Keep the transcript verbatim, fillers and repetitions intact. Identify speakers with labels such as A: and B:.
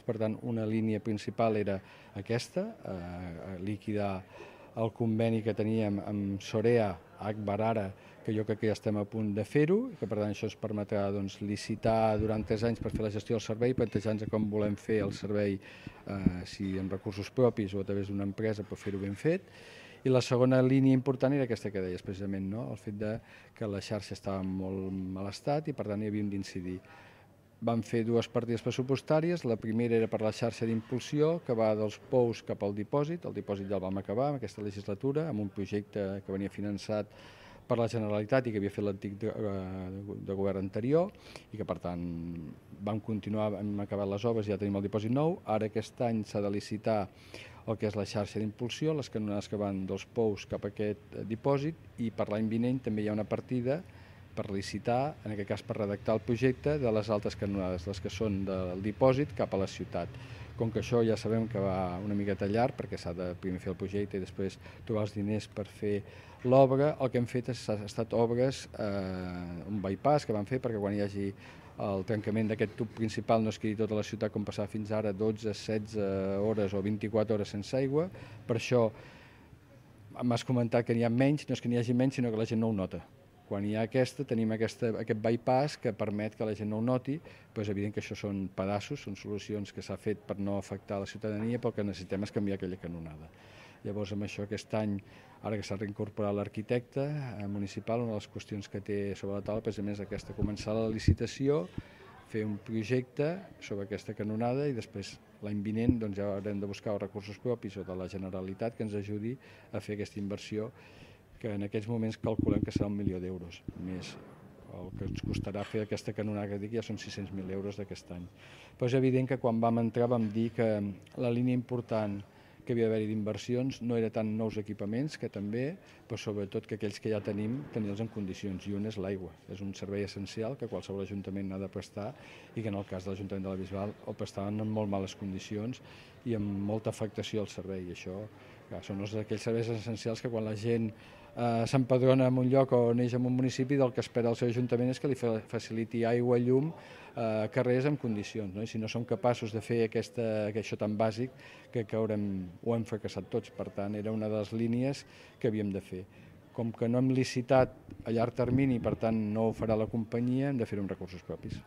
A: per tant una línia principal era aquesta, eh, liquidar el conveni que teníem amb Sorea, Agbar ara, que jo crec que ja estem a punt de fer-ho, i que per tant això ens permetrà doncs, licitar durant tres anys per fer la gestió del servei, plantejar-nos com volem fer el servei, eh, si amb recursos propis o a través d'una empresa per fer-ho ben fet. I la segona línia important era aquesta que deies precisament, no? El fet de que la xarxa estava en molt mal estat i per tant hi havíem d'incidir. Vam fer dues partides pressupostàries, la primera era per la xarxa d'impulsió que va dels pous cap al dipòsit, el dipòsit ja el vam acabar en aquesta legislatura amb un projecte que venia finançat per la Generalitat i que havia fet l'antic de, de govern anterior i que per tant vam continuar, hem acabat les obres i ja tenim el dipòsit nou. Ara aquest any s'ha de licitar el que és la xarxa d'impulsió, les canonades que van dels pous cap a aquest dipòsit i per l'any vinent també hi ha una partida per licitar, en aquest cas per redactar el projecte de les altres canonades, les que són del dipòsit cap a la ciutat. Com que això ja sabem que va una miqueta llarg, perquè s'ha de primer fer el projecte i després trobar els diners per fer l'obra, el que hem fet ha estat obres, eh, un bypass que vam fer perquè quan hi hagi el trencament d'aquest tub principal no es quedi tota la ciutat com passava fins ara, dotze, setze hores o vint-i-quatre hores sense aigua. Per això m'has comentat que n'hi ha menys, no és que n'hi hagi menys, sinó que la gent no ho nota. Quan hi ha aquesta, tenim aquesta, aquest bypass que permet que la gent no ho noti, però és evident que això són pedaços, són solucions que s'ha fet per no afectar la ciutadania, però el que necessitem és canviar aquella canonada. Llavors, amb això, aquest any, ara que s'ha reincorporat l'arquitecte municipal, una de les qüestions que té sobre la taula precisament és aquesta, començar la licitació, fer un projecte sobre aquesta canonada i després l'any vinent doncs, ja haurem de buscar els recursos propis o de la Generalitat que ens ajudi a fer aquesta inversió que en aquests moments calculem que serà un milió d'euros, més el que ens costarà fer aquesta canonada que dic ja són sis-cents mil euros d'aquest any. Però és evident que quan vam entrar vam dir que la línia important que havia d'haver-hi d'inversions no era tant nous equipaments, que també, però sobretot que aquells que ja tenim, tenir-los en condicions, i un és l'aigua. És un servei essencial que qualsevol ajuntament ha de prestar i que en el cas de l'Ajuntament de la Bisbal el prestaven en molt males condicions i amb molta afectació al servei. I això clar, són aquells serveis essencials que quan la gent eh, s'empadrona en un lloc o neix en un municipi, del que espera el seu ajuntament és que li faciliti aigua, llum, eh, carrers en condicions. No? I si no som capaços de fer aquesta, això tan bàsic, que, que haurem, ho hem fracassat tots. Per tant, era una de les línies que havíem de fer. Com que no hem licitat a llarg termini, per tant no ho farà la companyia, hem de fer-ho amb recursos propis.